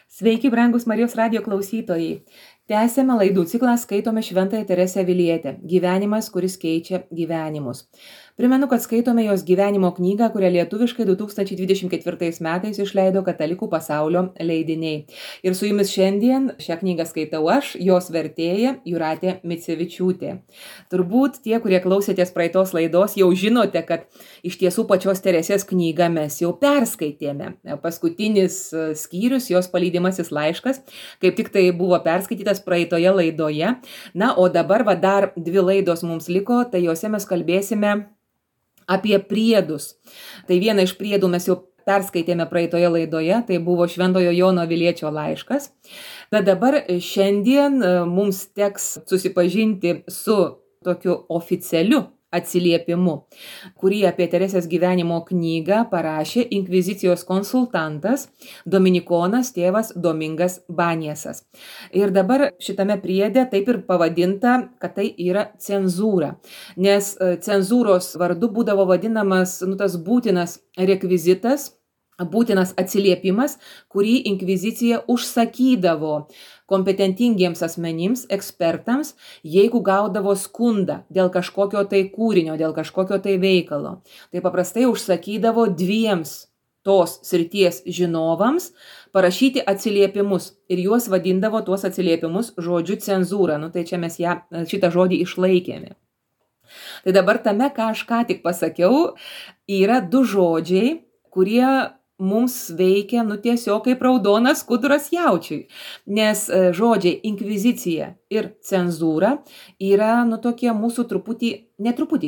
Sveiki, brangus Marijos radijo klausytojai. Tęsėme laidų ciklą Skaitome Šventąją Teresę Avilietę. Gyvenimas, kuris keičia gyvenimus. Primenu, kad skaitome jos gyvenimo knygą, kurią lietuviškai 2024 metais išleido Katalikų pasaulio leidiniai. Ir su jumis šiandien šią knygą skaitau aš, jos vertėja Jūratė Micevičiūtė. Turbūt tie, kurie klausėtės praeitos laidos, jau žinote, kad iš tiesų pačios Teresės knygą mes jau perskaitėme. Paskutinis skyrius, jos palydimasis laiškas, kaip tik tai buvo perskaitytas praeitoje laidoje. Na, o dabar dar 2 laidos mums liko, tai jose mes kalbėsime apie priedus. Tai vieną iš priedų mes jau perskaitėme praeitoje laidoje, tai buvo Šventojo Jono Aviliečio laiškas. Bet dabar šiandien mums teks susipažinti su tokiu oficialiu atsiliepimu, kurį apie Teresės gyvenimo knygą parašė inkvizicijos konsultantas dominikonas tėvas Domingas Baniesas. Ir dabar šitame priede taip ir pavadinta, kad tai yra cenzūra, nes cenzūros vardu būdavo vadinamas tas būtinas rekvizitas, būtinas atsiliepimas, kurį inkvizicija užsakydavo kompetentingiems asmenims, ekspertams, jeigu gaudavo skundą dėl kažkokio tai kūrinio, dėl kažkokio tai veikalo. Tai paprastai užsakydavo 2 tos srities žinovams parašyti atsiliepimus ir juos vadindavo tuos atsiliepimus žodžiu cenzūra. Tai čia mes šitą žodį išlaikėme. Tai dabar tame, ką aš ką tik pasakiau, yra 2 žodžiai, kurie mums veikia, tiesiog kaip raudonas skuduras jaučiui. Nes žodžiai inkvizicija ir cenzūra yra, tokie mūsų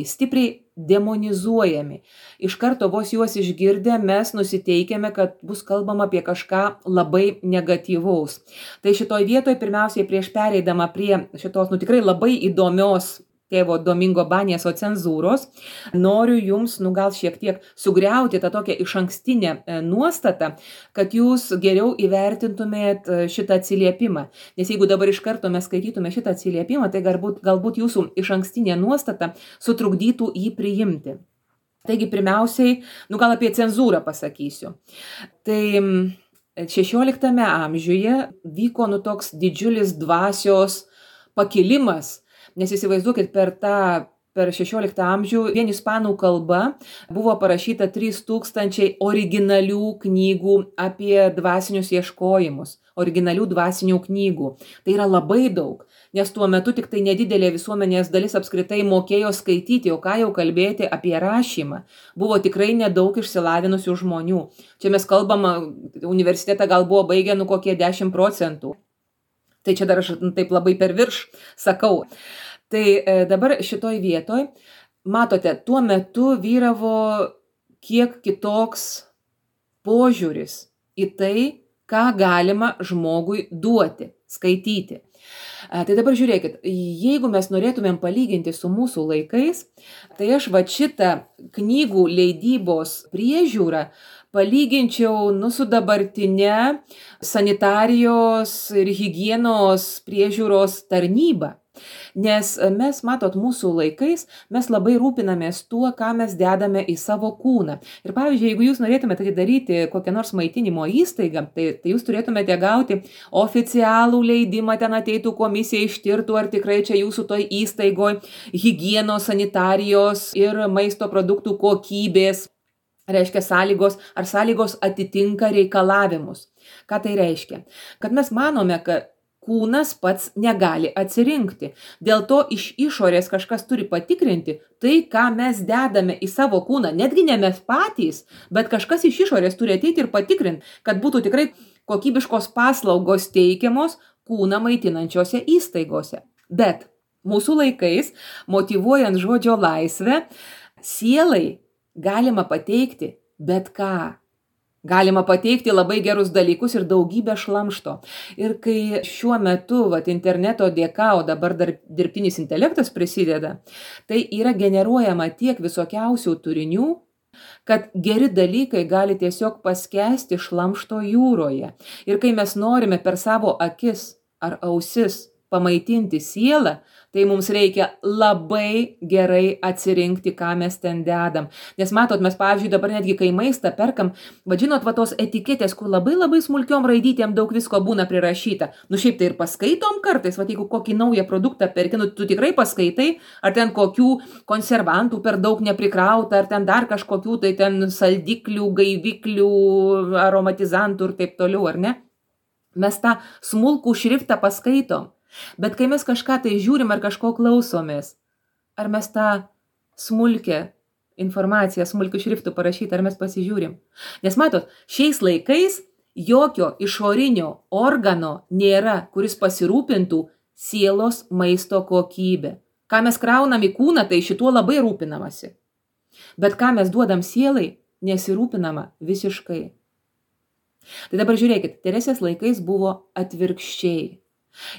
stipriai demonizuojami. Iš karto vos juos išgirdę mes nusiteikėme, kad bus kalbama apie kažką labai negatyvaus. Tai šitoj vietoj pirmiausiai prieš pereidama prie šitos, tikrai labai įdomios tėvo Domingo Banieso cenzūros, noriu jums, gal šiek tiek sugriauti tą tokią išankstinę nuostatą, kad jūs geriau įvertintumėt šitą atsiliepimą. Nes jeigu dabar iš karto mes skaitytume šitą atsiliepimą, tai galbūt jūsų išankstinė nuostata sutrukdytų jį priimti. Taigi pirmiausiai, gal apie cenzūrą pasakysiu. Tai 16 amžiuje vyko toks didžiulis dvasios pakilimas. Nes įsivaizduokit, per 16 amžių vien ispanų kalba buvo parašyta 3000 originalių knygų apie dvasinius ieškojimus, originalių dvasinių knygų. Tai yra labai daug, nes tuo metu tik tai nedidelė visuomenės dalis apskritai mokėjo skaityti, o ką jau kalbėti apie rašymą. Buvo tikrai nedaug išsilavinusių žmonių. Čia mes kalbam, universitetą gal buvo baigę kokie 10%. Tai čia dar aš taip labai per virš sakau. Tai dabar šitoj vietoj, matote, tuo metu vyravo kiek kitoks požiūris į tai, ką galima žmogui duoti, skaityti. Tai dabar žiūrėkit, jeigu mes norėtumėm palyginti su mūsų laikais, tai aš šitą knygų leidybos priežiūrą palyginčiau su dabartinė sanitarijos ir higienos priežiūros tarnyba. Nes mes, matot, mūsų laikais mes labai rūpinamės tuo, ką mes dedame į savo kūną. Ir pavyzdžiui, jeigu jūs norėtumėte atidaryti kokią nors maitinimo įstaigą, tai jūs turėtumėte gauti oficialų leidimą, ten ateitų komisija ištirtų, ar tikrai čia jūsų toj įstaigoje higienos, sanitarijos ir maisto produktų kokybės, reiškia ar sąlygos atitinka reikalavimus. Ką tai reiškia? Kad mes manome, kad kūnas pats negali atsirinkti. Dėl to iš išorės kažkas turi patikrinti tai, ką mes dedame į savo kūną. Netgi ne mes patys, bet kažkas iš išorės turi ateiti ir patikrinti, kad būtų tikrai kokybiškos paslaugos teikiamos kūną maitinančiose įstaigose. Bet mūsų laikais, motyvuojant žodžio laisvę, sielai galima pateikti bet ką. Galima pateikti labai gerus dalykus ir daugybę šlamšto. Ir kai šiuo metu interneto dėka, o dabar dar dirbtinis intelektas prisideda, tai yra generuojama tiek visokiausių turinių, kad geri dalykai gali tiesiog paskęsti šlamšto jūroje. Ir kai mes norime per savo akis ar ausis pamaitinti sielą, tai mums reikia labai gerai atsirinkti, ką mes ten dedam. Nes matot, mes, pavyzdžiui, dabar netgi kai maistą perkam, vadžinot, va tos etiketės, kur labai smulkiom raidytėm daug visko būna prirašyta. Nu šiaip tai ir paskaitom kartais, va jeigu kokį naują produktą perki, nu tu tikrai paskaitai, ar ten kokių konservantų per daug neprikrauta, ar ten dar kažkokių tai ten saldiklių, gaiviklių, aromatizantų ir taip toliau, ar ne? Mes tą smulkų šriftą paskaitom. Bet kai mes kažką tai žiūrim ar kažko klausomės, ar mes tą smulkę informaciją, smulkių šriftų parašytą, ar mes pasižiūrim. Nes matot, šiais laikais jokio išorinio organo nėra, kuris pasirūpintų sielos maisto kokybę. Ką mes kraunam į kūną, tai šituo labai rūpinamasi. Bet ką mes duodam sielai, nesirūpinama visiškai. Tai dabar žiūrėkit, Teresės laikais buvo atvirkščiai.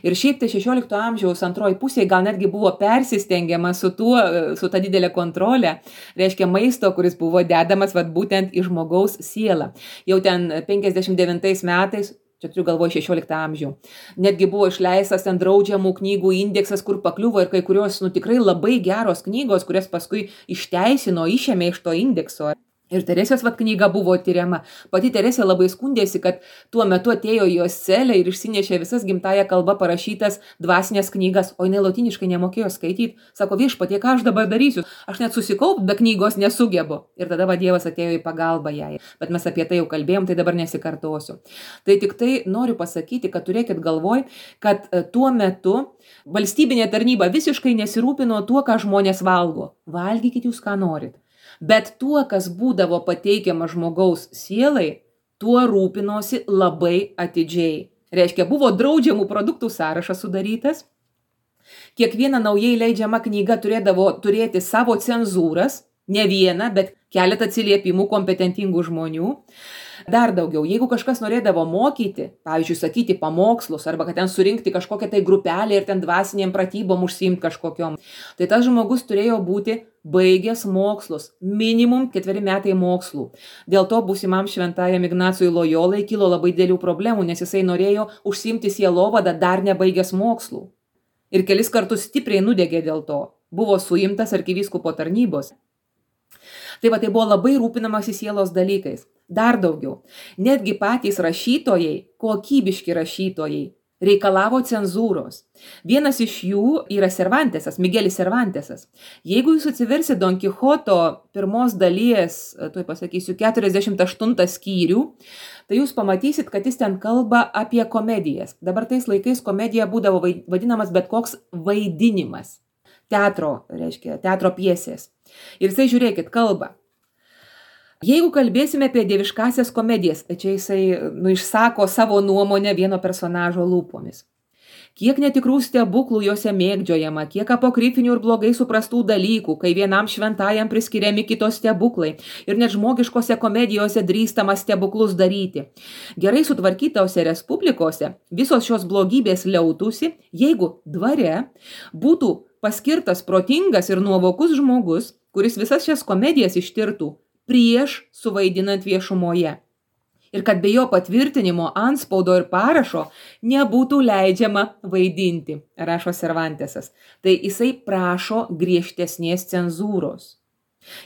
Ir šiaip tai 16 amžiaus antroji pusėje gal netgi buvo persistengiama su ta didelė kontrolė, reiškia maisto, kuris buvo dedamas būtent į žmogaus sielą. Jau ten 59 metais, čia turiu galvoje 16 amžių, netgi buvo išleistas ten draudžiamų knygų indeksas, kur pakliuvo ir kai kurios tikrai labai geros knygos, kurias paskui išteisino, išėmė iš to indekso. Ir Teresės knyga buvo tyriama. Pati Teresė labai skundėsi, kad tuo metu atėjo į jos celę ir išsinešė visas gimtąją kalbą parašytas dvasinės knygas, o jinai lotyniškai nemokėjo skaityti. Sako, viešpatie, ką aš dabar darysiu? Aš net susikaupt be knygos nesugebu. Ir tada Dievas atėjo į pagalbą jai. Bet mes apie tai jau kalbėjom, tai dabar nesikartosiu. Tai tik tai noriu pasakyti, kad turėkit galvoj, kad tuo metu valstybinė tarnyba visiškai nesirūpino tuo, ką žmonės valgo. Valgykit jūs, ką norit. Bet tuo, kas būdavo pateikiama žmogaus sielai, tuo rūpinosi labai atidžiai. Reiškia, buvo draudžiamų produktų sąrašas sudarytas. Kiekviena naujai leidžiama knyga turėdavo turėti savo cenzūras, ne vieną, bet keletą atsiliepimų kompetentingų žmonių. Dar daugiau, jeigu kažkas norėdavo mokyti, pavyzdžiui, sakyti pamokslus, arba kad ten surinkti kažkokią tai grupelę ir ten dvasinėm pratybom užsiimti kažkokiom, tai tas žmogus turėjo būti baigęs mokslus, minimum 4 metai mokslų. Dėl to būsimam šventajam Ignacui Lojolai kilo labai didelių problemų, nes jisai norėjo užsiimti sielovadą dar nebaigęs mokslų. Ir kelis kartus stipriai nudegė dėl to. Buvo suimtas arkivyskupo tarnybos. Tai buvo labai rūpinamasi sielos dalykais. Dar daugiau. Netgi patys rašytojai, kokybiški rašytojai, reikalavo cenzūros. Vienas iš jų yra Cervantesas, Migelis Cervantesas. Jeigu jūs atsiversit Don Kichoto pirmos dalies, tuoj pasakysiu, 48 skyrių, tai jūs pamatysit, kad jis ten kalba apie komedijas. Dabar tais laikais komedija būdavo vadinamas bet koks vaidinimas. Teatro, reiškia, teatro pjesės. Ir jisai, žiūrėkit, kalba. Jeigu kalbėsime apie dieviškasias komedijas, tai čia jisai išsako savo nuomonę vieno personažo lūpomis. Kiek netikrų stebuklų juose mėgdžiojama, kiek apokrifinių ir blogai suprastų dalykų, kai vienam šventajam priskiriami kitos stebuklai ir net žmogiškose komedijose drįstama stebuklus daryti. Gerai sutvarkytose respublikose visos šios blogybės liautųsi, jeigu dvare būtų paskirtas protingas ir nuovokus žmogus, kuris visas šias komedijas ištirtų prieš suvaidinant viešumoje. Ir kad be jo patvirtinimo, antspaudo ir parašo nebūtų leidžiama vaidinti, rašo Cervantesas. Tai jisai prašo griežtesnės cenzūros.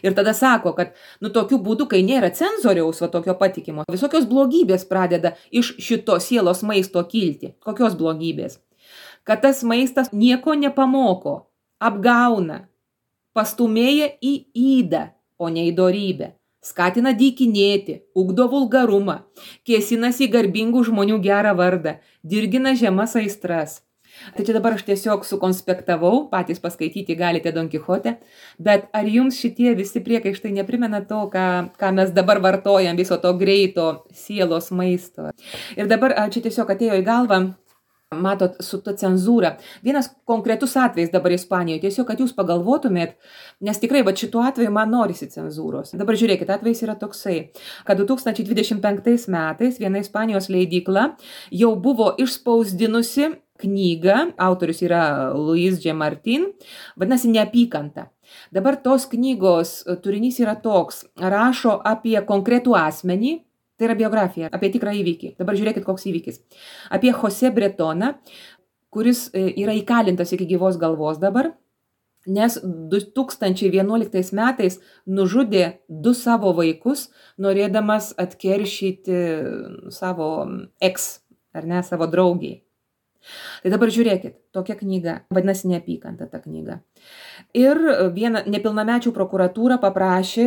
Ir tada sako, kad tokiu būdu, kai nėra cenzoriaus, tokio patikimo, visokios blogybės pradeda iš šito sielos maisto kilti. Kokios blogybės? Kad tas maistas nieko nepamoko, apgauna, pastumėja į ydą, o ne į dorybę. Skatina dykinėti, ugdo vulgarumą, kėsinasi į garbingų žmonių gerą vardą, dirgina žemas aistras. Tai čia dabar aš tiesiog sukonspektavau, patys paskaityti galite Don Kichote, bet ar jums šitie visi priekaištai neprimena to, ką mes dabar vartojam, viso to greito sielos maisto? Ir dabar čia tiesiog atėjo į galvą, matot, su ta cenzūra. Vienas konkretus atvejis dabar Ispanijoje, tiesiog, kad jūs pagalvotumėt, nes tikrai, šituo atveju man norisi cenzūros. Dabar žiūrėkit, atvejis yra toksai, kad 2025 metais viena Ispanijos leidykla jau buvo išspausdinusi knygą, autorius yra Luis G. Martin, vadinasi Neapykanta. Dabar tos knygos turinys yra toks, rašo apie konkretų asmenį, tai yra biografija, apie tikrą įvykį. Dabar žiūrėkit, koks įvykis. Apie José Bretoną, kuris yra įkalintas iki gyvos galvos dabar, nes 2011 metais nužudė 2 savo vaikus, norėdamas atkeršyti savo savo draugiai. Tai dabar žiūrėkit, tokia knyga, vadinasi Neapykanta ta knyga. Ir nepilnamečių prokuratūra paprašė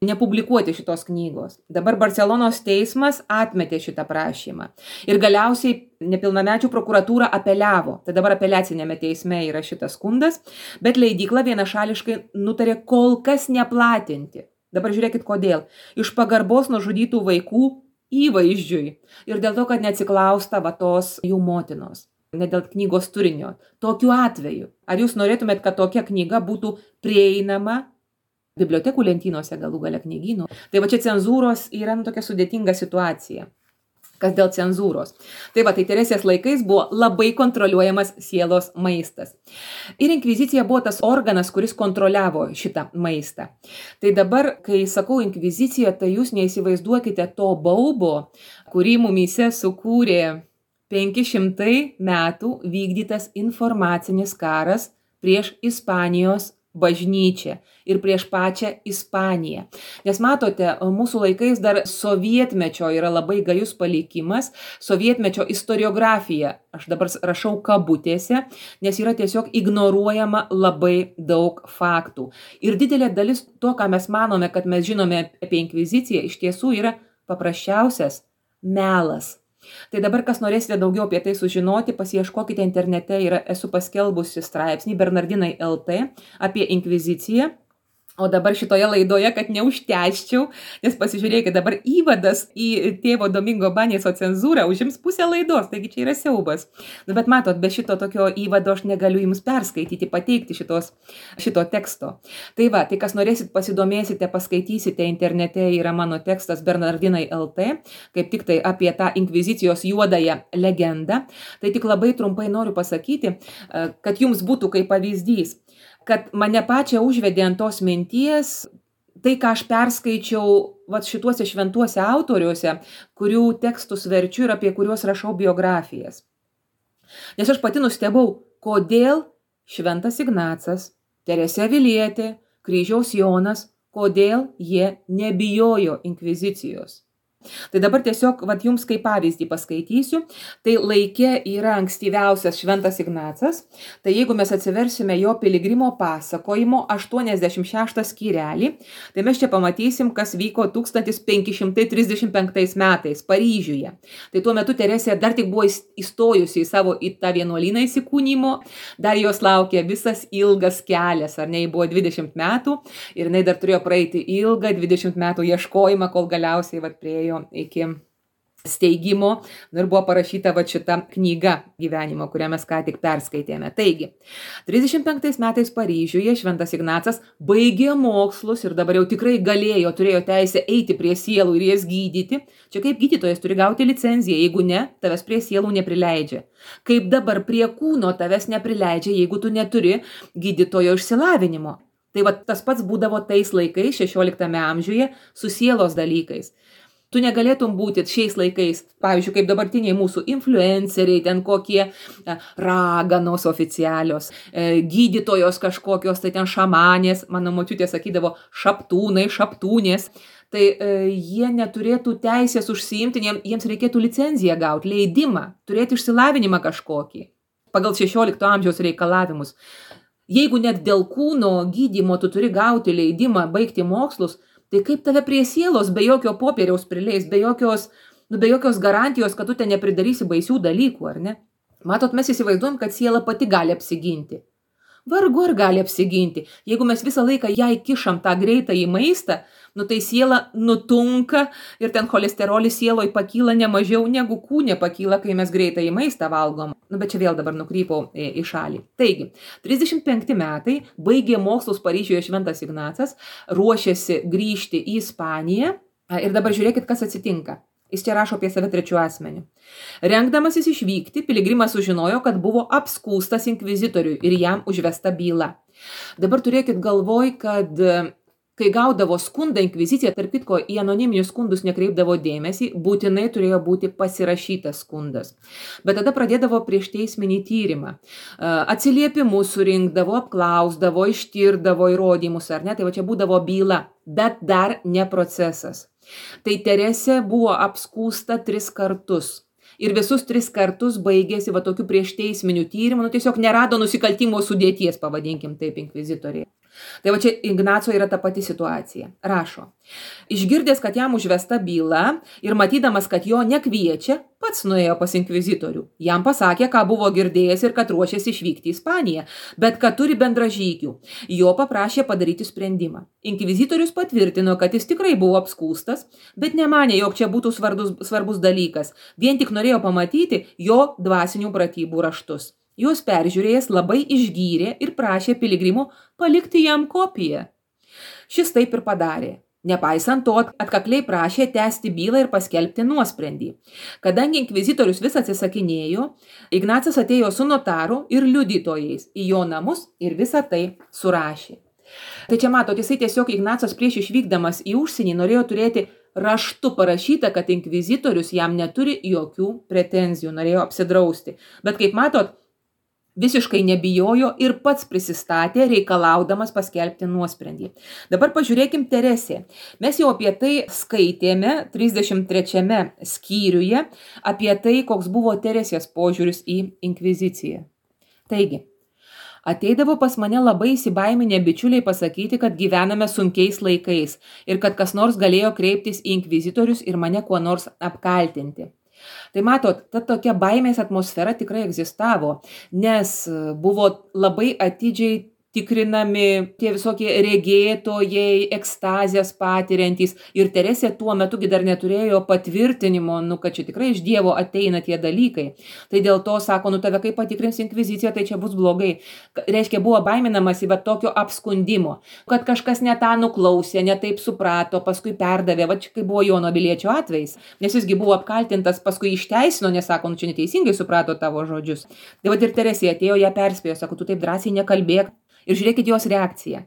nepublikuoti šitos knygos. Dabar Barcelonos teismas atmetė šitą prašymą. Ir galiausiai nepilnamečių prokuratūra apeliavo. Tai dabar apeliacinėme teisme yra šitas skundas, bet leidykla vienašališkai nutarė kol kas neplatinti. Dabar žiūrėkit kodėl. Iš pagarbos nužudytų vaikų įvaizdžiui ir dėl to, kad neatsiklausta tos jų motinos. Ne dėl knygos turinio. Tokiu atveju, ar jūs norėtumėt, kad tokia knyga būtų prieinama bibliotekų lentynose, galų gale knygynų? Tai va čia cenzūros yra tokia sudėtinga situacija. Kas dėl cenzūros. Tai va, tai Teresės laikais buvo labai kontroliuojamas sielos maistas. Ir inkvizicija buvo tas organas, kuris kontroliavo šitą maistą. Tai dabar, kai sakau inkvizicija, tai jūs neįsivaizduokite to baubo, kurį mumyse sukūrė 500 metų vykdytas informacinis karas prieš Ispanijos bažnyčią ir prieš pačią Ispaniją. Nes matote, mūsų laikais dar sovietmečio yra labai gajus palikimas, sovietmečio istoriografija, aš dabar rašau kabutėse, nes yra tiesiog ignoruojama labai daug faktų. Ir didelė dalis to, ką mes manome, kad mes žinome apie inkviziciją, iš tiesų yra paprasčiausias melas. Tai dabar, kas norėsite daugiau apie tai sužinoti, pasiieškokite internete, esu paskelbusi straipsnį Bernardinai LT apie inkviziciją. O dabar šitoje laidoje, kad neužtęsčiau, nes pasižiūrėkite, dabar įvadas į tėvo Domingo Baneso cenzūrą užims pusę laidos, taigi čia yra siaubas. Bet matot, be šito tokio įvado aš negaliu jums perskaityti, pateikti šito teksto. Tai va, tai kas norėsit, pasidomėsite, paskaitysite, internete yra mano tekstas Bernardinai LT, kaip tik tai apie tą inkvizicijos juodąją legendą. Tai tik labai trumpai noriu pasakyti, kad jums būtų kaip pavyzdys, kad mane pačią užvedė ant tos minties, tai, ką aš perskaičiau šituose šventuose autoriuose, kurių tekstus verčiu ir apie kuriuos rašau biografijas. Nes aš pati nustebau, kodėl Šventas Ignacas, Teresė Avilietė, Kryžiaus Jonas, kodėl jie nebijojo inkvizicijos. Tai dabar tiesiog jums kaip pavyzdį paskaitysiu. Tai laike yra ankstyviausias Šventas Ignacas. Tai jeigu mes atsiversime jo piligrimo pasakojimo 86 skyrelį, tai mes čia pamatysim, kas vyko 1535 metais Paryžiuje. Tai tuo metu Teresė dar tik buvo įstojusi į tą vienuolyną įsikūnymo, dar jos laukė visas ilgas kelias, ar ne, buvo 20 metų ir jinai dar turėjo praeiti ilgą 20 metų ieškojimą, kol galiausiai priėjo iki steigimo ir buvo parašyta šita knyga gyvenimo, kurią mes ką tik perskaitėme. Taigi, 35 metais Paryžiuje Šventas Ignacas baigė mokslus ir dabar jau tikrai turėjo teisę eiti prie sielų ir jas gydyti. Čia kaip gydytojas turi gauti licenciją, jeigu ne, tavęs prie sielų neprileidžia. Kaip dabar prie kūno tavęs neprileidžia, jeigu tu neturi gydytojo išsilavinimo. Tai tas pats būdavo tais laikais, 16 amžiuje, su sielos dalykais. Tu negalėtum būti šiais laikais, pavyzdžiui, kaip dabartiniai mūsų influenceriai, ten kokie raganos oficialios, gydytojos kažkokios, tai ten šamanės, mano močiutė sakydavo šaptūnai, šaptūnės, tai jie neturėtų teisės užsiimti, jiems reikėtų licenciją gauti, leidimą, turėti išsilavinimą kažkokį, pagal 16 amžiaus reikalavimus. Jeigu net dėl kūno gydymo tu turi gauti leidimą baigti mokslus, tai kaip tave prie sielos be jokio popieriaus prileis, be jokios garantijos, kad tu ten nepridarysi baisių dalykų, ar ne? Matot, mes įsivaizduojam, kad siela pati gali apsiginti. Vargu ar gali apsiginti. Jeigu mes visą laiką jai kišam tą greitą į maistą, tai siela nutunka ir ten cholesterolis sieloj pakyla ne mažiau negu kūne pakyla, kai mes greitą į maistą valgom. Bet čia vėl dabar nukrypau į šalį. Taigi, 35 metai, baigė mokslus Paryžiuje Šventas Ignacas, ruošėsi grįžti į Ispaniją ir dabar žiūrėkit, kas atsitinka. Jis čia rašo apie save trečiu asmeniu. Rengdamasis išvykti, piligrimas sužinojo, kad buvo apskųstas inkvizitoriui ir jam užvesta byla. Dabar turėkit galvoj, kad kai gaudavo skundą inkvizicija, tarp kitko, į anoniminius skundus nekreipdavo dėmesį, būtinai turėjo būti pasirašytas skundas. Bet tada pradėdavo prieš teisminį tyrimą. Atsiliepimus surinkdavo, apklausdavo, ištirdavo įrodymus, ar ne, tai va čia būdavo byla, bet dar ne procesas. Tai Teresė buvo apskūsta 3 kartus. Ir visus 3 kartus baigėsi va tokiu prieš teisminių tyrimų, tiesiog nerado nusikaltimo sudėties, pavadinkim taip, inkvizitoriai. Tai va čia Ignaco yra ta pati situacija. Rašo, išgirdęs, kad jam užvesta byla ir matydamas, kad jo nekviečia, pats nuėjo pas inkvizitorių. Jam pasakė, ką buvo girdėjęs ir kad ruošiasi išvykti į Ispaniją, bet kad turi bendražygių. Jo paprašė padaryti sprendimą. Inkvizitorius patvirtino, kad jis tikrai buvo apskūstas, bet nemanė, jog čia būtų svarbus dalykas. Vien tik norėjo pamatyti jo dvasinių pratybų raštus. Juos peržiūrėjęs labai išgyrė ir prašė piligrimų palikti jam kopiją. Šis taip ir padarė. Nepaisant to, atkakliai prašė tęsti bylą ir paskelbti nuosprendį. Kadangi inkvizitorius vis atsisakinėjo, Ignacas atėjo su notaru ir liudytojais į jo namus ir visą tai surašė. Tai čia matot, jisai tiesiog Ignacas prieš išvykdamas į užsienį norėjo turėti raštu parašyta, kad inkvizitorius jam neturi jokių pretenzijų, norėjo apsidrausti. Bet kaip matot, visiškai nebijojo ir pats prisistatė, reikalaudamas paskelbti nuosprendį. Dabar pažiūrėkim Teresė. Mes jau apie tai skaitėme 33 skyriuje, apie tai, koks buvo Teresės požiūris į inkviziciją. Taigi, ateidavo pas mane labai įsibaiminę bičiuliai pasakyti, kad gyvename sunkiais laikais ir kad kas nors galėjo kreiptis į inkvizitorius ir mane kuo nors apkaltinti. Tai matot, ta tokia baimės atmosfera tikrai egzistavo, nes buvo labai atidžiai tikrinami tie visokie regėtojai, ekstazijas patiriantys. Ir Teresė tuo metu dar neturėjo patvirtinimo, kad čia tikrai iš Dievo ateina tie dalykai. Tai dėl to sako, tave kaip patikrins inkvizicija, tai čia bus blogai. Reiškia, buvo baiminamasi bet tokio apskundimo, kad kažkas ne tą nuklausė, ne taip suprato, paskui perdavė, va čia kai buvo Jono Biliečio atvejis, nes jisgi buvo apkaltintas, paskui išteisino, nes sako, čia neteisingai suprato tavo žodžius. Tai va ir Teresė atėjo, ją perspėjo, sako, tu taip drąsiai nekalbėk. Ir žiūrėkit jos reakciją.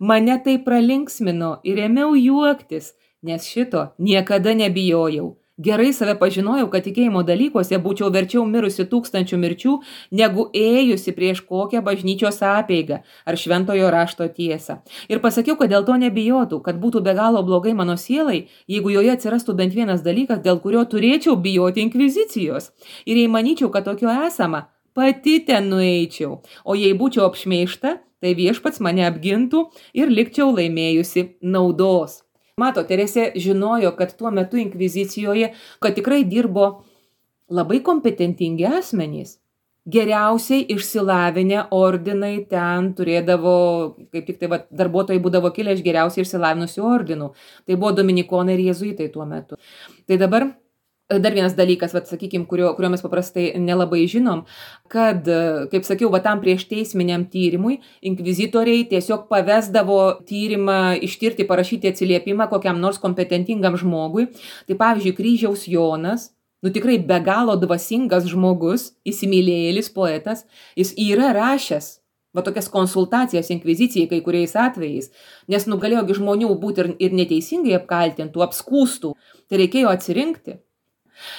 Mane tai pralinksmino ir ėmiau juoktis, nes šito niekada nebijojau. Gerai save pažinojau, kad tikėjimo dalykuose būčiau verčiau mirusi 1000 mirčių, negu ėjusi prieš kokią bažnyčios apeigą ar šventojo rašto tiesą. Ir pasakiau, kad dėl to nebijotų, kad būtų be galo blogai mano sielai, jeigu joje atsirastų bent vienas dalykas, dėl kurio turėčiau bijoti inkvizicijos. Ir jei manyčiau, kad tokio esama, pati ten nueičiau, o jei būčiau apšmeižta, tai viešpats mane apgintų ir likčiau laimėjusi naudos. Mato, Teresė žinojo, kad tuo metu inkvizicijoje, kad tikrai dirbo labai kompetentingi asmenys. Geriausiai išsilavinę ordinai ten turėdavo, kaip tik tai darbuotojai būdavo kilę iš geriausiai išsilavinusių ordinų. Tai buvo dominikonai ir jėzuitai tuo metu. Tai dabar dar vienas dalykas, sakykime, kurio mes paprastai nelabai žinom, kad, kaip sakiau, tam prieš teisminiam tyrimui inkvizitoriai tiesiog pavesdavo tyrimą ištirti, parašyti atsiliepimą kokiam nors kompetentingam žmogui. Tai pavyzdžiui, Kryžiaus Jonas, tikrai be galo dvasingas žmogus, įsimylėjėlis poetas, jis yra rašęs tokias konsultacijas inkvizicijai kai kuriais atvejais, nes galėjogi žmonių būti ir neteisingai apkaltintų, apskūstų, tai reikėjo atsirinkti.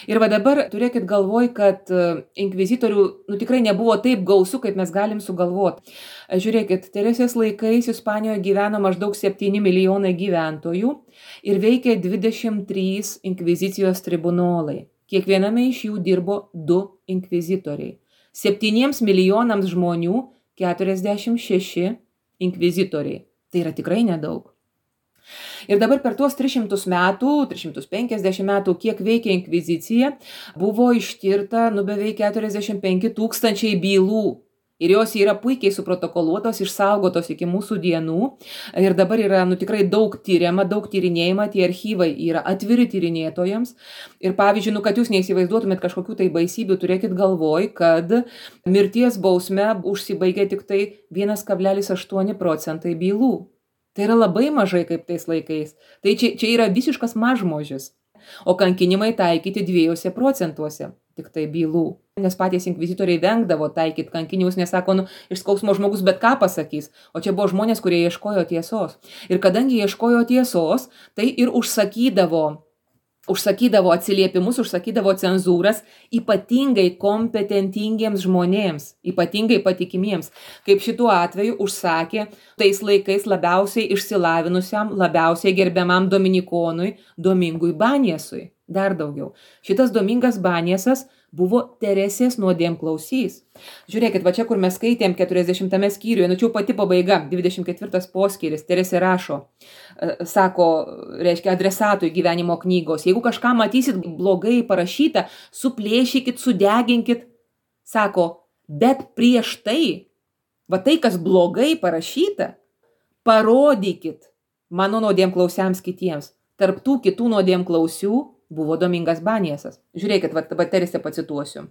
Ir dabar turėkit galvoj, kad inkvizitorių tikrai nebuvo taip gausių, kaip mes galim sugalvoti. Žiūrėkit, Teresės laikais Ispanijoje gyveno maždaug 7 milijonai gyventojų ir veikė 23 inkvizicijos tribunolai. Kiekviename iš jų dirbo 2 inkvizitoriai. 7 milijonams žmonių 46 inkvizitoriai. Tai yra tikrai nedaug. Ir dabar per tuos 300 metų, 350 metų, kiek veikia inkvizicija, buvo ištirta beveik 45 000 bylų. Ir jos yra puikiai suprotokoluotos, išsaugotos iki mūsų dienų. Ir dabar yra tikrai daug tyriama, daug tyrinėjama, tie archyvai yra atviri tyrinėtojams. Ir pavyzdžiui, kad jūs neįsivaizduotumėt kažkokių tai baisybių, turėkit galvoj, kad mirties bausme užsibaigia tik tai 1,8% bylų. Tai yra labai mažai kaip tais laikais. Tai čia yra visiškas mažmožis. o kankinimai taikyti 2% tik tai bylų. Nes patys inkvizitoriai vengdavo taikyti kankinimus, nes sako, iš skausmo žmogus bet ką pasakys, o čia buvo žmonės, kurie ieškojo tiesos. Ir kadangi ieškojo tiesos, tai ir užsakydavo atsiliepimus, užsakydavo cenzūras ypatingai kompetentingiems žmonėms, ypatingai patikimiems, kaip šituo atveju užsakė tais laikais labiausiai išsilavinusiam, labiausiai gerbiamam dominikonui Domingui Baniesui. Dar daugiau. Šitas Domingas Baniesas buvo Teresės nuodėmklausys. Žiūrėkit, va čia, kur mes skaitėm 40 skyriuje, čia pati pabaiga, 24 poskyris, Teresė rašo, sako, reiškia, adresatui gyvenimo knygos, jeigu kažką matysit blogai parašyta, suplėšykit, sudeginkit, sako, bet prieš tai, va tai, kas blogai parašyta, parodykit mano nuodėmklausiams kitiems. Tarp tų kitų nuodėmklausių buvo Domingas Baniesas. Žiūrėkit, va Teresę pacituosiu.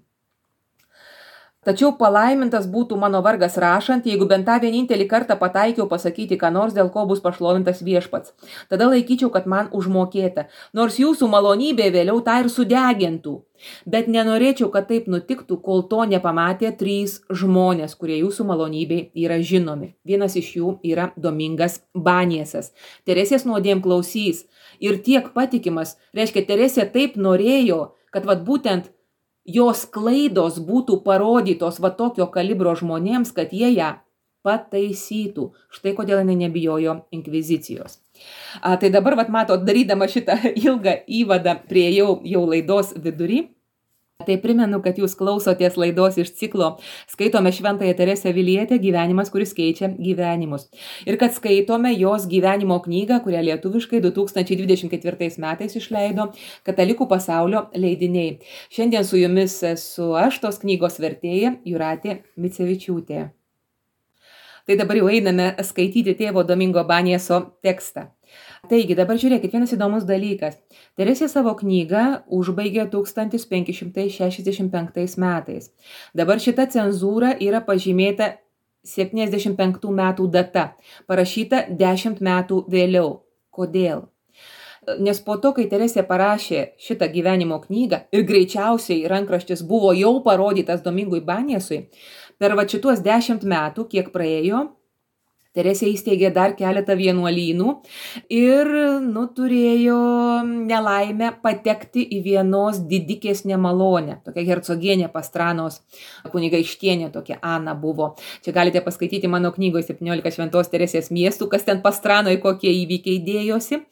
Tačiau palaimintas būtų mano vargas rašant, jeigu bent tą vienintelį kartą pataikiau pasakyti, ką nors, dėl ko bus pašlovintas viešpats. Tada laikyčiau, kad man užmokėta, nors jūsų malonybė vėliau tą ir sudegintų. Bet nenorėčiau, kad taip nutiktų, kol to nepamatė 3 žmonės, kurie jūsų malonybei yra žinomi. Vienas iš jų yra Domingas Baniesas. Teresės nuodėmklausys ir tiek patikimas, reiškia, Teresė taip norėjo, kad vat būtent jos klaidos būtų parodytos va tokio kalibro žmonėms, kad jie ją pataisytų. Štai kodėl jinai nebijojo inkvizicijos. Tai dabar, vat matot, darydama šitą ilgą įvadą prie jau laidos vidury, tai primenu, kad jūs klausotės laidos iš ciklo Skaitome Šventąją Teresę Avilietę gyvenimas, kuris keičia gyvenimus. Ir kad skaitome jos gyvenimo knygą, kurią lietuviškai 2024 metais išleido Katalikų pasaulio leidiniai. Šiandien su jumis esu aš, tos knygos vertėja Jūratė Micevičiūtė. Tai dabar jau einame skaityti tėvo Domingo Banieso tekstą. Taigi, dabar žiūrėkit, vienas įdomus dalykas. Teresė savo knygą užbaigė 1565 metais. Dabar šita cenzūra yra pažymėta 75 metų data, parašyta 10 metų vėliau. Kodėl? Nes po to, kai Teresė parašė šitą gyvenimo knygą ir greičiausiai rankraštis buvo jau parodytas Domingui Baniesui, per va šituos 10 metų, kiek praėjo, Teresė įsteigė dar keletą vienuolynų ir turėjo nelaimę patekti į vienos didikės nemalonę. Tokia hercogienė Pastranos kunigaikštienė, tokia Ana buvo. Čia galite paskaityti mano knygoje 17 Šventos Teresės miestų, kas ten Pastranoje kokie įvykiai dėjosi.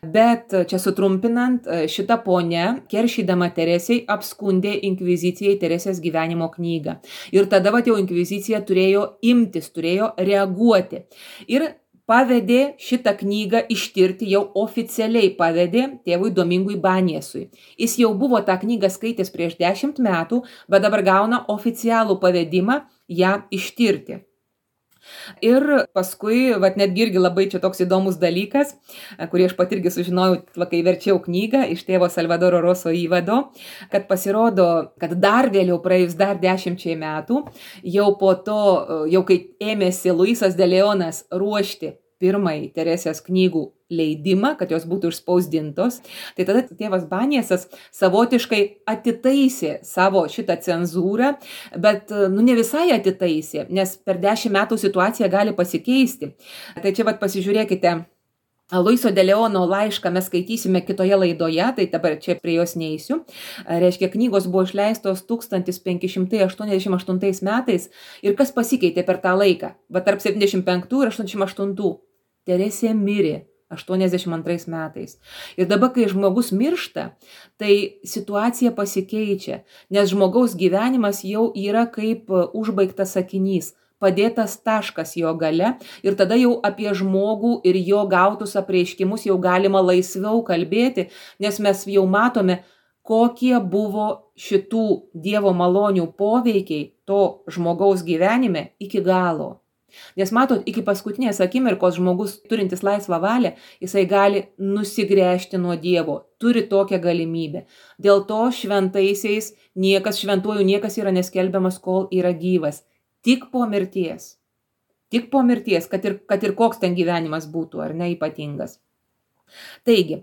Bet čia sutrumpinant, šita ponia, keršydama Teresiai, apskundė inkvizicijai Teresės gyvenimo knygą. Ir tada jau inkvizicija turėjo imtis, turėjo reaguoti. Ir pavedė šitą knygą ištirti, jau oficialiai pavedė tėvui Domingui Baniesui. Jis jau buvo tą knygą skaitęs prieš 10 metų, bet dabar gauna oficialų pavedimą ją ištirti. Ir paskui, netgi irgi labai čia toks įdomus dalykas, kurį aš pat irgi sužinojau, kai verčiau knygą iš tėvo Salvadoro Roso įvado, kad pasirodo, kad dar vėliau, praėjus dar 10 metų, jau po to, jau kai ėmėsi Luisas de Leonas ruošti pirmąjį Teresės knygų leidimą, kad jos būtų išspausdintos, tai tada tėvas Baniesas savotiškai atitaisė savo šitą cenzūrą, bet ne visai atitaisė, nes per 10 metų situacija gali pasikeisti. Tai čia pasižiūrėkite, Luiso de Leono laišką mes skaitysime kitoje laidoje, tai dabar čia prie jos neįsiu. Reiškia, knygos buvo išleistos 1588 metais ir kas pasikeitė per tą laiką? Va tarp 75 ir 88. Teresė mirė 82 metais. Ir dabar, kai žmogus miršta, tai situacija pasikeičia, nes žmogaus gyvenimas jau yra kaip užbaigtas sakinys, padėtas taškas jo gale ir tada jau apie žmogų ir jo gautus apreiškimus jau galima laisviau kalbėti, nes mes jau matome, kokie buvo šitų Dievo malonių poveikiai to žmogaus gyvenime iki galo. Nes matot, iki paskutinės akimirkos žmogus turintis laisvą valią, jisai gali nusigręžti nuo Dievo, turi tokią galimybę. Dėl to šventaisiais šventuoju niekas yra neskelbiamas, kol yra gyvas. Tik po mirties, kad ir koks ten gyvenimas būtų, ar ne ypatingas. Taigi,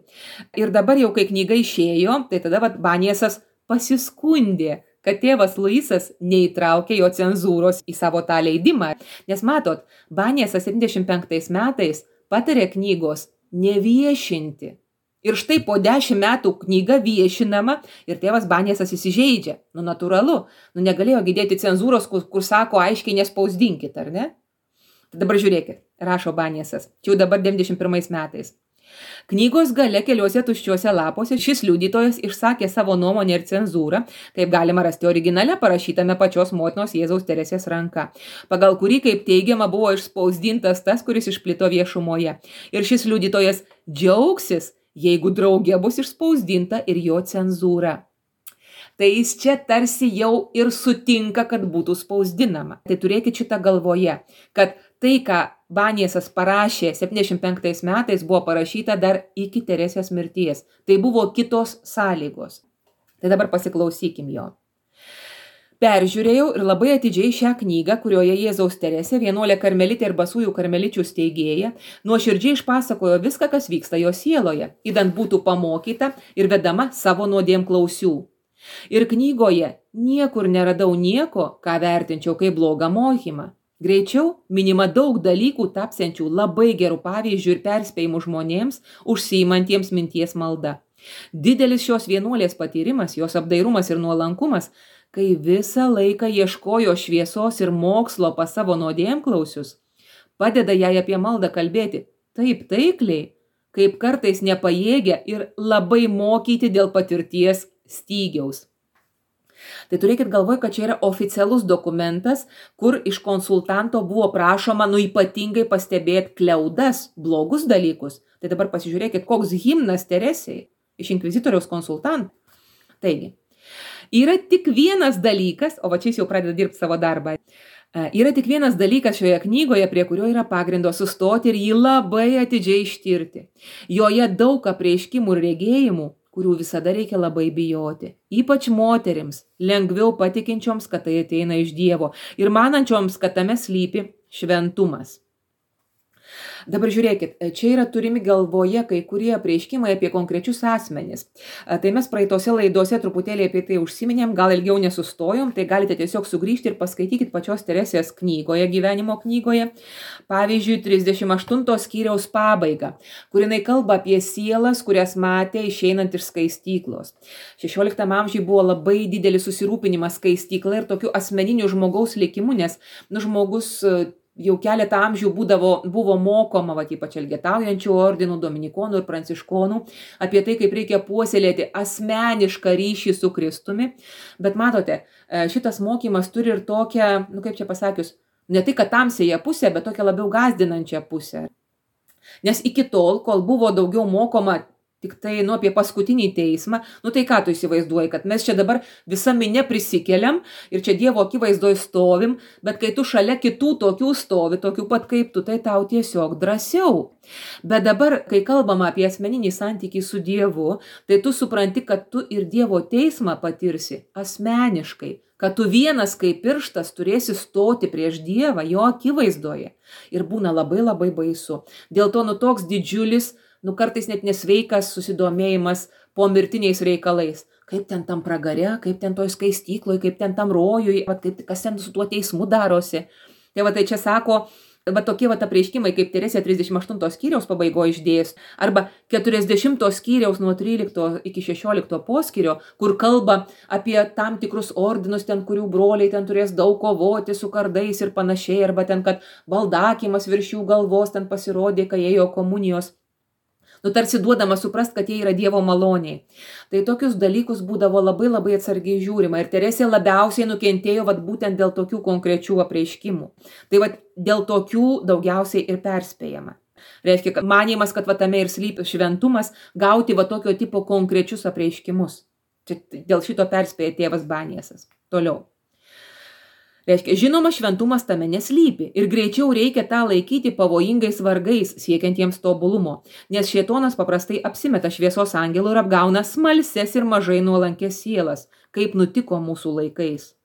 ir dabar jau kai knyga išėjo, tai tada Baniesas pasiskundė, kad tėvas Luisas neįtraukė jo cenzūros į savo tą leidimą. Nes matot, Baniesas 75 metais patarė knygos neviešinti. Ir štai po 10 metų knyga viešinama ir tėvas Baniesas įsižeidžia. Natūralu, negalėjo gydėti cenzūros, kur sako aiškiai nespausdinkit, ar ne? Tai dabar žiūrėkit, rašo Baniesas, čia jau dabar 91 metais. Knygos gale keliuose tuščiuose lapuose šis liudytojas išsakė savo nuomonę ir cenzūrą, kaip galima rasti originale parašytame pačios motinos Jėzaus Teresės ranka, pagal kurį, kaip teigiama, buvo išspausdintas tas, kuris išplito viešumoje. Ir šis liudytojas džiaugsis, jeigu drauge bus išspausdinta ir jo cenzūra. Tai jis čia tarsi jau ir sutinka, kad būtų spausdinama. Tai turėkit šitą galvoje, kad tai, ką Baniesas parašė 75 metais, buvo parašyta dar iki Teresės mirties. Tai buvo kitos sąlygos. Tai dabar pasiklausykim jo. Peržiūrėjau ir labai atidžiai šią knygą, kurioje Jėzaus Teresė, vienuolė karmelitė ir basųjų karmeličių steigėja, nuoširdžiai išpasakojo viską, kas vyksta jo sieloje, idant būtų pamokyta ir vedama savo nuodėmklausių. Ir knygoje niekur neradau nieko, ką vertinčiau kaip blogą mokymą. Greičiau minima daug dalykų tapsiančių labai gerų pavyzdžių ir perspėjimų žmonėms, užsiimantiems minties malda. Didelis šios vienuolės patyrimas, jos apdairumas ir nuolankumas, kai visą laiką ieškojo šviesos ir mokslo pas savo nuodėmklausius, padeda jai apie maldą kalbėti taip taikliai, kaip kartais nepajėgia ir labai mokyti dėl patirties stygiaus. Tai turėkit galvoj, kad čia yra oficialus dokumentas, kur iš konsultanto buvo prašoma ypatingai pastebėti kliaudas, blogus dalykus. Tai dabar pasižiūrėkit, koks himnas Teresei iš inkvizitoriaus konsultantų. Taigi, yra tik vienas dalykas, o va čia jis jau pradeda dirbti savo darbą. Yra tik vienas dalykas šioje knygoje, prie kurio yra pagrindo sustoti ir jį labai atidžiai ištirti. Joje daug apreiškimų ir regėjimų, kurių visada reikia labai bijoti. Ypač moterims, lengviau patikinčioms, kad tai ateina iš Dievo ir manančioms, kad tame slypi šventumas. Dabar žiūrėkit, čia yra turimi galvoje kai kurie apreiškimai apie konkrečius asmenis. Tai mes praeitose laidose truputėlį apie tai užsiminėm, gal ilgiau nesustojom, tai galite tiesiog sugrįžti ir paskaitykit pačios Teresės knygoje, gyvenimo knygoje. Pavyzdžiui, 38 skyriaus pabaigą, kur jinai kalba apie sielas, kurias matė išeinant iš skaistyklos. 16 amžiuje buvo labai didelis susirūpinimas skaistykla ir tokiu asmeniniu žmogaus likimu, nes žmogus jau keletą amžių buvo mokoma, ypač elgetaujančių ordinų, dominikonų ir pranciškonų, apie tai, kaip reikia puoselėti asmenišką ryšį su Kristumi. Bet matote, šitas mokymas turi ir tokią, kaip čia pasakius, ne tai, kad tamsiąją pusę, bet tokią labiau gąsdinančią pusę. Nes iki tol, kol buvo daugiau mokoma tik tai apie paskutinį teismą, tai ką tu įsivaizduoji, kad mes čia dabar visą minę prisikeliam ir čia Dievo akivaizdoj stovim, bet kai tu šalia kitų tokių stovi, tokių pat kaip tu, tai tau tiesiog drąsiau. Bet dabar, kai kalbama apie asmeninį santykį su Dievu, tai tu supranti, kad tu ir Dievo teismą patirsi asmeniškai, kad tu vienas kaip pirštas turėsi stoti prieš Dievą, jo akivaizdoje. Ir būna labai labai baisu. Dėl to toks didžiulis, kartais net nesveikas susidomėjimas po mirtiniais reikalais. Kaip ten tam pragare, kaip ten toj skaistykloje, kaip ten tam rojui, kas ten su tuo teismu darosi. Tai čia sako, tokie apreiškimai, kaip Teresė 38 skyriaus pabaigoje išdėjus, arba 40 skyriaus nuo 13 iki 16 poskyrio, kur kalba apie tam tikrus ordinus, ten kurių broliai ten turės daug kovoti su kardais ir panašiai, arba ten, kad baldakimas virš jų galvos ten pasirodė, kai ėjo komunijos. Tarsi duodama suprast, kad jie yra Dievo maloniai. Tai tokius dalykus būdavo labai labai atsargiai žiūrima ir Teresė labiausiai nukentėjo būtent dėl tokių konkrečių apreiškimų. Tai dėl tokių daugiausiai ir perspėjama. Reiškia, kad manymas, kad tame ir slypi šventumas, gauti tokio tipo konkrečius apreiškimus. Čia dėl šito perspėja tėvas Baniesas. Toliau. Reiškia, žinoma, šventumas tame neslypi ir greičiau reikia tą laikyti pavojingais vargais, siekiantiems tobulumo, nes šėtonas paprastai apsimeta šviesos angelų ir apgauna smalses ir mažai nuolankės sielas, kaip nutiko mūsų laikais.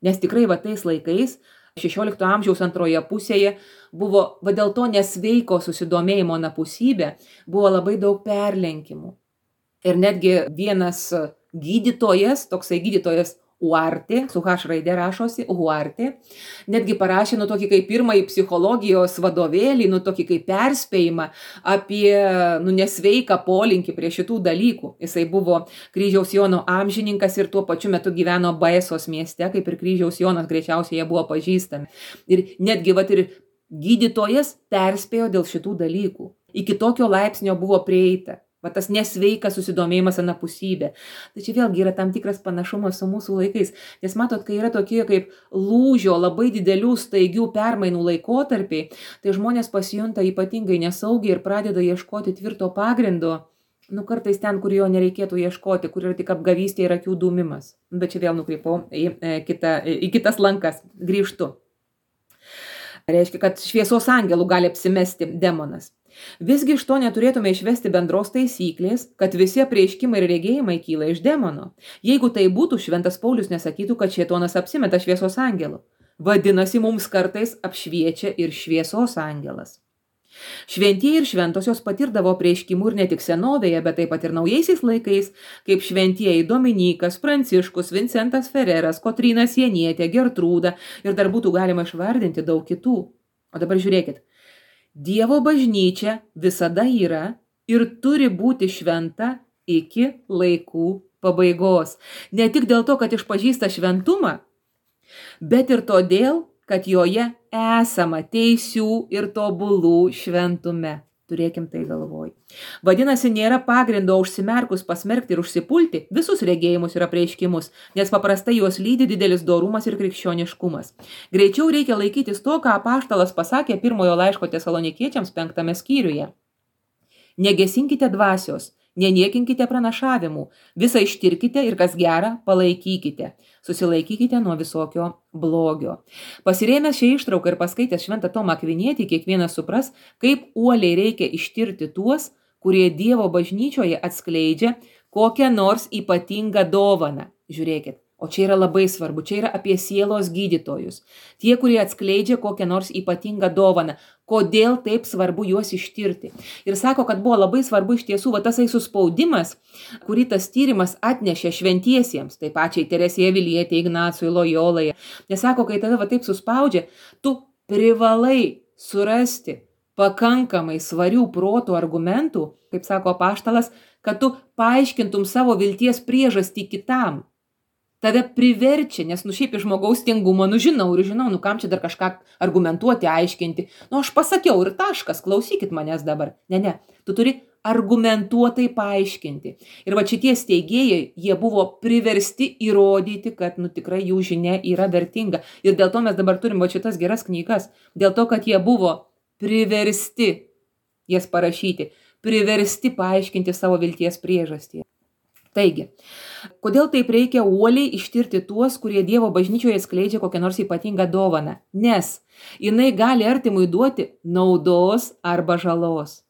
Nes tikrai tais laikais XVI amžiaus antroje pusėje buvo, va dėl to nesveiko susidomėjimo anapusybė, buvo labai daug perlenkimų. Ir netgi vienas gydytojas, toksai gydytojas Huarte, su H raidė rašosi, Huarte, netgi parašė, tokį kaip pirmąjį psichologijos vadovėlį, tokį kaip perspėjimą apie, nesveiką polinkį prie šitų dalykų. Jisai buvo Kryžiaus Jono amžininkas ir tuo pačiu metu gyveno Baesos mieste, kaip ir Kryžiaus Jonas, greičiausiai jie buvo pažįstami. Ir netgi ir gydytojas perspėjo dėl šitų dalykų. Iki tokio laipsnio buvo prieita. Va tas nesveikas susidomėjimas anapusybė. Tai čia vėlgi yra tam tikras panašumas su mūsų laikais. Nes matot, kai yra tokie kaip lūžio, labai didelių staigių permainų laikotarpiai, tai žmonės pasijunta ypatingai nesaugiai ir pradeda ieškoti tvirto pagrindo, kartais ten, kur jo nereikėtų ieškoti, kur yra tik apgavystė ir akių dūmimas. Bet čia vėl nukreipau į kitas lankas. Grįžtu. Reiškia, kad šviesos angelų gali apsimesti demonas. Visgi iš to neturėtume išvesti bendros taisyklės, kad visi apreiškimai ir regėjimai kyla iš demono. Jeigu tai būtų, šventas Paulius nesakytų, kad šėtonas apsimeta šviesos angelu. Vadinasi, mums kartais apšviečia ir šviesos angelas. Šventieji ir šventosios patirdavo apreiškimų ir ne tik senovėje, bet taip pat ir naujaisiais laikais, kaip šventieji Dominykas, Pranciškus, Vincentas Fereras, Kotryna Sienietė, Gertrūda ir dar būtų galima išvardinti daug kitų. O dabar žiūrėkit. Dievo bažnyčia visada yra ir turi būti šventa iki laikų pabaigos. Ne tik dėl to, kad išpažįsta šventumą, bet ir todėl, kad joje esama teisių ir tobulų šventume. Turėkim tai galvoj. Vadinasi, nėra pagrindo užsimerkus pasmerkti ir užsipulti visus regėjimus ir apreiškimus, nes paprastai juos lydi didelis dorumas ir krikščioniškumas. Greičiau reikia laikytis to, ką apaštalas pasakė pirmojo laiško Tesalonikiečiams 5 skyriuje. Negesinkite dvasios, neniekinkite pranašavimų, visą ištirkite ir kas gera, palaikykite. Susilaikykite nuo visokio blogio. Pasirėmęs šią ištrauką ir paskaitęs šventą Tomą Akvinietį, kiekvienas supras, kaip uoliai reikia ištirti tuos, kurie Dievo bažnyčioje atskleidžia kokią nors ypatingą dovaną. Žiūrėkit. O čia yra labai svarbu, čia yra apie sielos gydytojus. Tie, kurie atskleidžia kokią nors ypatingą dovaną. Kodėl taip svarbu juos ištirti? Ir sako, kad buvo labai svarbu iš tiesų tasai suspaudimas, kurį tas tyrimas atnešė šventiesiems, tai pačiai Teresėje Avilietė, Ignacui, Lojolai. Nes sako, kai tave taip suspaudžia, tu privalai surasti pakankamai svarių protų argumentų, kaip sako apaštalas, kad tu paaiškintum savo vilties priežastį kitam. Tave priverčia, nes šiaip iš žmogaus tingumo, žinau, kam čia dar kažką argumentuoti, aiškinti. Aš pasakiau ir taškas, klausykit manęs dabar. Ne, tu turi argumentuotai paaiškinti. Ir va šitie steigėjai, jie buvo priversti įrodyti, kad tikrai jų žinia yra vertinga. Ir dėl to mes dabar turim va šitas geras knygas. Dėl to, kad jie buvo priversti jas parašyti, priversti paaiškinti savo vilties priežastį. Taigi, kodėl taip reikia uoliai ištirti tuos, kurie Dievo bažnyčioje skleidžia kokią nors ypatingą dovaną? Nes jinai gali artimui duoti naudos arba žalos.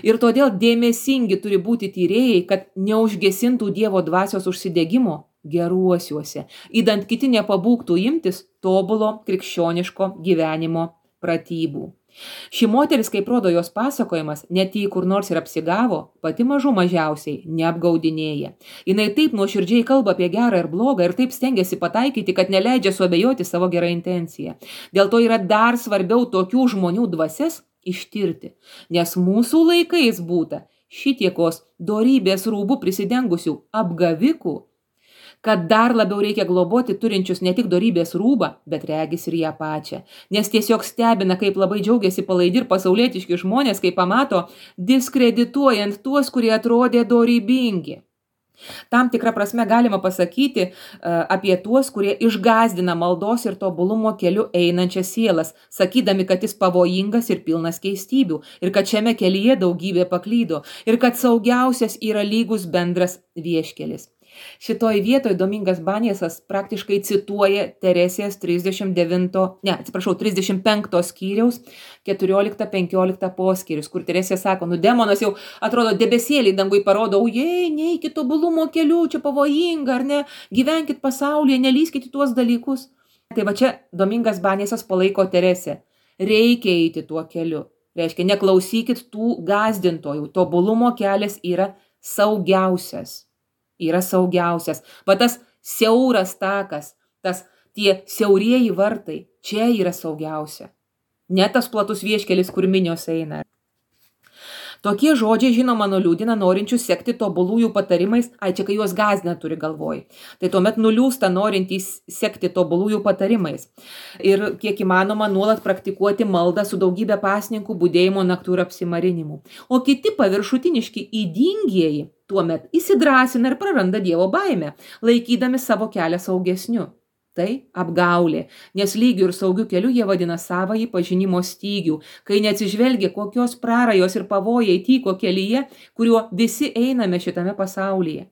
Ir todėl dėmesingi turi būti tyrėjai, kad neužgesintų Dievo dvasios užsidegimo geruosiuose, idant kiti nepabūgtų imtis tobulo krikščioniško gyvenimo pratybų. Ši moteris, kaip rodo jos pasakojimas, net jei kur nors ir apsigavo, pati mažų mažiausiai neapgaudinėja. Jinai taip nuoširdžiai kalba apie gerą ir blogą ir taip stengiasi pataikyti, kad neleidžia suabejoti savo gerą intenciją. Dėl to yra dar svarbiau tokių žmonių dvasias ištirti, nes mūsų laikais būta šitiekos dorybės rūbų prisidengusių apgavikų, kad dar labiau reikia globoti turinčius ne tik dorybės rūbą, bet regis ir ją pačią. Nes tiesiog stebina, kaip labai džiaugiasi palaidi ir pasaulietiški žmonės, kai pamato diskredituojant tuos, kurie atrodė dorybingi. Tam tikrą prasme galima pasakyti apie tuos, kurie išgąsdina maldos ir tobulumo keliu einančias sielas, sakydami, kad jis pavojingas ir pilnas keistybių, ir kad šiame kelyje daugybė paklydo, ir kad saugiausias yra lygus bendras vieškelis. Šitoj vietoj Domingas Banjesas praktiškai cituoja Teresės 35 skyriaus 14-15 poskyrius, kur Teresė sako, demonas jau atrodo debesėlį dangui parodo, neikit tobulumo keliu, čia pavojinga, ar ne, gyvenkit pasaulyje, nelyskit į tuos dalykus. Tai va čia Domingas Banesas palaiko Teresę. Reikia eiti tuo keliu. Reiškia, neklausykit tų gąsdintojų. Tobulumo kelias yra saugiausias. Va tas siauras takas, tie siaurieji vartai, čia yra saugiausia. Ne tas platus vieškelis, kur minios eina. Tokie žodžiai, žinoma, nuliūdina norinčius sekti tobulųjų patarimais, čia kai juos gąsdina turi galvoj. Tai tuomet nuliūsta norintys sekti tobulųjų patarimais. Ir kiek įmanoma nuolat praktikuoti maldą su daugybė pasninkų, budėjimo naktų ir apsimarinimų. O kiti paviršutiniški įdingieji tuomet įsidrąsina ir praranda Dievo baimę, laikydami savo kelią saugesniu. Tai apgaulė, nes lygių ir saugių kelių jie vadina savąjį pažinimo stygių, kai neatsižvelgia, kokios prarajos ir pavojai tyko kelyje, kuriuo visi einame šitame pasaulyje.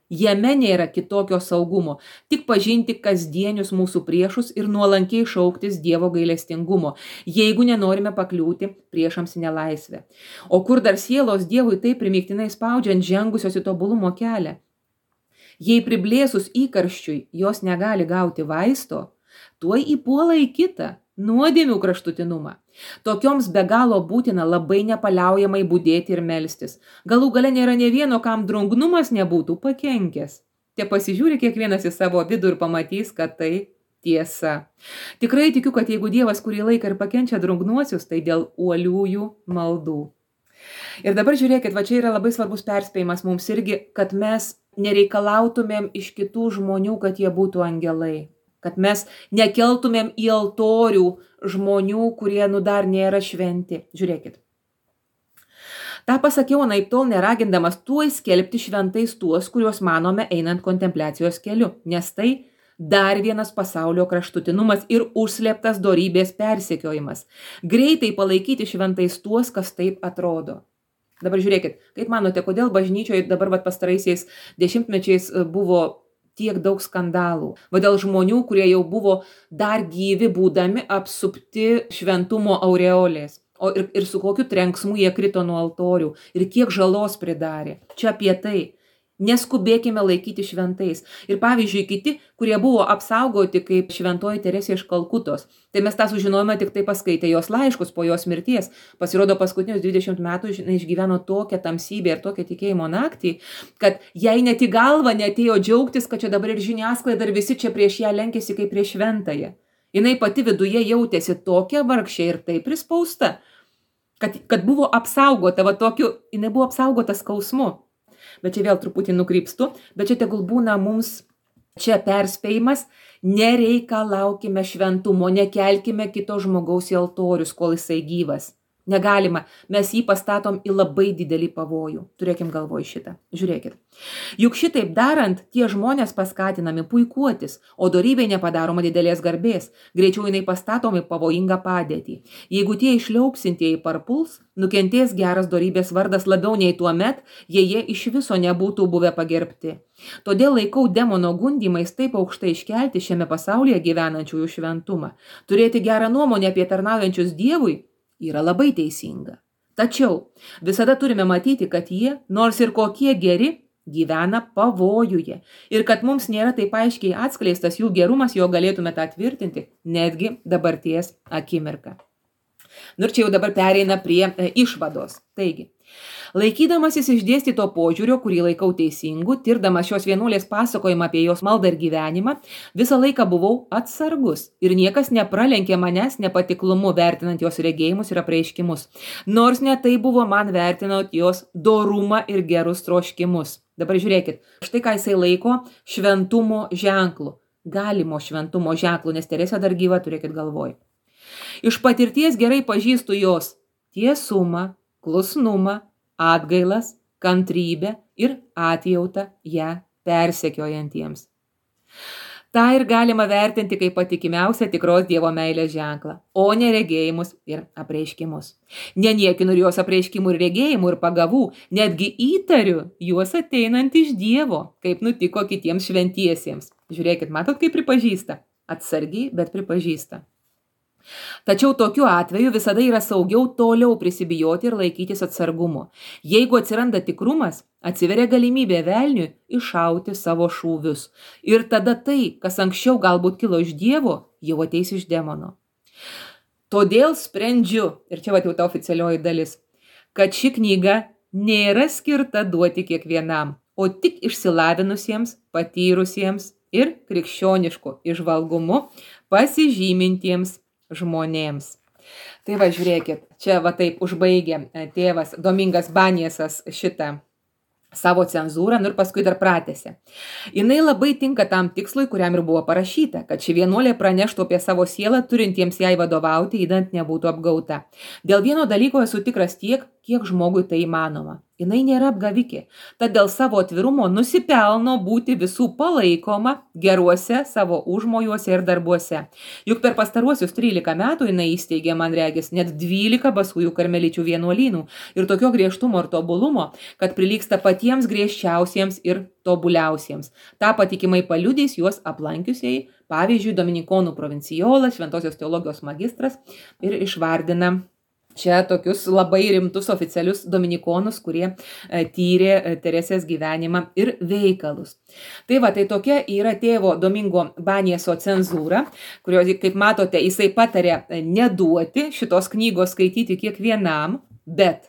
Jame nėra kitokio saugumo, tik pažinti kasdienius mūsų priešus ir nuolankiai šauktis Dievo gailestingumo, jeigu nenorime pakliūti priešams į nelaisvę. O kur dar sielos Dievui taip primygtinai spaudžiant žengusios į tobulumo kelią? Jei priblėsus įkarščiui jos negali gauti vaisto, tuoj įpuola į kitą, nuodėmių kraštutinumą. Tokioms be galo būtina labai nepaliaujamai budėti ir melstis. Galų gale nėra nė vieno, kam drungnumas nebūtų pakenkęs. Te pasižiūri kiekvienas į savo vidų ir pamatys, kad tai tiesa. Tikrai tikiu, kad jeigu Dievas kurį laiką ir pakenčia drungnuosius, tai dėl uoliųjų maldų. Ir dabar žiūrėkit, va čia yra labai svarbus perspėjimas mums irgi, kad mes nereikalautumėm iš kitų žmonių, kad jie būtų angelai. Kad mes nekeltumėm į altorių žmonių, kurie dar nėra šventi. Žiūrėkit. Ta pasakiau anaiptol neragindamas tuoj skelbti šventais tuos, kuriuos manome einant kontempliacijos keliu, nes tai dar vienas pasaulio kraštutinumas ir užslėptas dorybės persekiojimas. Greitai palaikyti šventais tuos, kas taip atrodo. Dabar žiūrėkit, kaip manote, kodėl bažnyčioje dabar pastaraisiais dešimtmečiais buvo tiek daug skandalų? Va dėl žmonių, kurie jau buvo dar gyvi būdami apsupti šventumo aureolės. Ir su kokiu trenksmu jie krito nuo altorių ir kiek žalos pridarė. Čia apie tai. Neskubėkime laikyti šventais. Ir pavyzdžiui, kiti, kurie buvo apsaugoti kaip šventoji Teresė iš Kalkutos, tai mes tą sužinojome tik tai paskaitę jos laiškus po jos mirties. Pasirodo, paskutinius 20 metų išgyveno tokią tamsybę ir tokią tikėjimo naktį, kad jai net į galvą neatėjo džiaugtis, kad čia dabar ir žiniasklaida ir visi čia prieš ją lenkėsi kaip prieš šventąją. Jinai pati viduje jautėsi tokia vargšė ir taip prispausta, kad buvo apsaugota, jinai buvo apsaugota skausmu. Bet čia vėl truputį nukrypstu, bet čia tegul būna mums čia perspėjimas, nereikalaukime šventumo, nekelkime kito žmogaus į altorius, kol jisai gyvas. Negalima, mes jį pastatom į labai didelį pavojų. Turėkim galvoj šitą. Žiūrėkit. Juk šitaip darant, tie žmonės paskatinami puikuotis, o dorybė nepadaroma didelės garbės. Greičiau jinai pastatomi pavojingą padėtį. Jeigu tie išliaupsintieji parpuls, nukentės geras dorybės vardas labiau nei tuo met, jei jie iš viso nebūtų buvę pagerbti. Todėl laikau demono gundymais taip aukštai iškelti šiame pasaulyje gyvenančiųjų šventumą. Turėti gerą nuomonę apie tarnaujančius Dievui yra labai teisinga. Tačiau visada turime matyti, kad jie, nors ir kokie geri, gyvena pavojuje. Ir kad mums nėra taip aiškiai atskleistas jų gerumas, jo galėtume tą tvirtinti netgi dabarties akimirką. Ir čia jau dabar pereina prie išvados. Taigi, laikydamasis išdėstyto požiūrio, kurį laikau teisingu, tirdamas šios vienuolės pasakojimą apie jos maldą ir gyvenimą, visą laiką buvau atsargus ir niekas nepralenkė manęs nepatiklumu vertinant jos regėjimus ir apreiškimus, nors ne tai buvo man vertinant jos dorumą ir gerus troškimus. Dabar žiūrėkit, štai ką jisai laiko šventumo ženklu, galimo šventumo ženklu, nes Teresė dar gyva, turėkit galvoj. Iš patirties gerai pažįstu jos tiesumą, klusnumą, atgailas, kantrybę ir atjautą ją persekiojantiems. Ta ir galima vertinti kaip patikimiausią tikros Dievo meilės ženklą, o ne regėjimus ir apreiškimus. Neniekinu ir jos apreiškimų ir regėjimų ir pagavų, netgi įtariu juos ateinant iš Dievo, kaip nutiko kitiems šventiesiems. Žiūrėkit, matot, kaip pripažįsta? Atsargiai, bet pripažįsta. Tačiau tokiu atveju visada yra saugiau toliau prisibijoti ir laikytis atsargumo. Jeigu atsiranda tikrumas, atsiveria galimybė velniui iššauti savo šūvius. Ir tada tai, kas anksčiau galbūt kilo iš Dievo, jau ateis iš demono. Todėl sprendžiu, ir čia jau ta oficialioji dalis, kad ši knyga nėra skirta duoti kiekvienam, o tik išsilavinusiems, patyrusiems ir krikščionišku įžvalgumu pasižymintiems žmonėms. Tai va, žiūrėkit, čia va taip užbaigė tėvas Domingas Baniesas šitą savo cenzūrą, ir paskui dar pratęsė. Jinai labai tinka tam tikslui, kuriam ir buvo parašyta, kad ši vienuolė praneštų apie savo sielą, turintiems jai vadovauti, įdant nebūtų apgauta. Dėl vieno dalyko esu tikras tiek, kiek žmogui tai įmanoma. Jinai nėra apgavikė, tad dėl savo atvirumo nusipelno būti visų palaikoma geruose savo užmojuose ir darbuose. Juk per pastaruosius 13 metų jinai įsteigė, man regis, net 12 basųjų karmeličių vienuolynų ir tokio griežtumo ir tobulumo, kad prilygsta patiems griežčiausiems ir tobuliausiems. Ta patikimai paliudys juos aplankiusiai, pavyzdžiui, dominikonų provincijolas, šventosios teologijos magistras, ir išvardina čia tokius labai rimtus oficialius dominikonus, kurie tyrė Teresės gyvenimą ir veikalus. Tai va, tai tokia yra tėvo Domingo Banieso cenzūra, kurio, kaip matote, jisai patarė neduoti šitos knygos skaityti kiekvienam, bet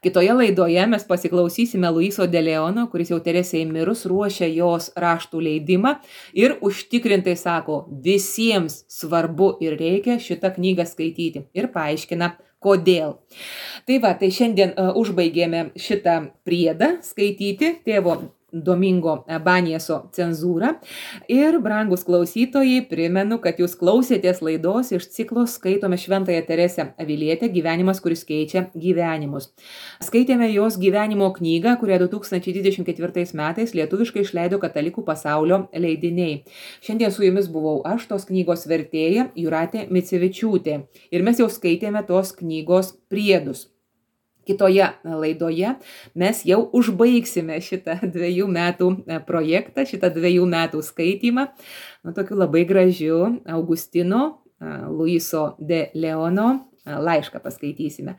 kitoje laidoje mes pasiklausysime Luiso de Leono, kuris jau Teresei mirus ruošia jos raštų leidimą ir užtikrintai sako, visiems svarbu ir reikia šitą knygą skaityti ir paaiškina, kodėl. Tai va, tai šiandien užbaigėme šitą priedą skaityti tėvo Domingo Banieso cenzūrą. Ir, brangus klausytojai, primenu, kad jūs klausėtės laidos iš ciklo Skaitome Šventąją Teresę Avilietę Gyvenimas, kuris keičia gyvenimus. Skaitėme jos gyvenimo knygą, kurią 2024 metais lietuviškai išleido Katalikų pasaulio leidiniai. Šiandien su jumis buvau aš, tos knygos vertėja Jūratė Micevičiūtė. Ir mes jau skaitėme tos knygos priedus. Kitoje laidoje mes jau užbaigsime šitą 2 metų projektą, šitą 2 metų skaitymą, tokiu labai gražiu Augustino Luiso de Leono laišką paskaitysime.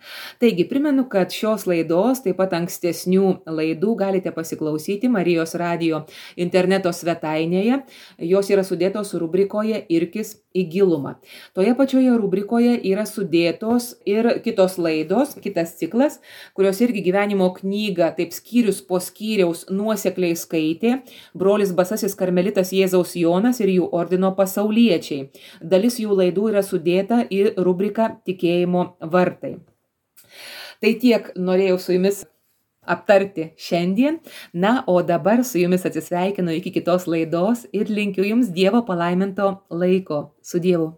Taigi, primenu, kad šios laidos, taip pat ankstesnių laidų galite pasiklausyti Marijos radijo interneto svetainėje. Jos yra sudėtos rubrikoje Irkis į gilumą. Toje pačioje rubrikoje yra sudėtos ir kitos laidos, kitas ciklas, kurios irgi gyvenimo knygą, taip skyrius po skyriaus nuosekliai skaitė brolis Basasis karmelitas Jėzaus Jonas ir jų ordino pasauliečiai. Dalis jų laidų yra sudėta į rubriką Tikėjimo vartai. Tai tiek norėjau su jumis aptarti šiandien. Na, o dabar su jumis atsisveikinu iki kitos laidos ir linkiu jums Dievo palaiminto laiko. Su Dievu.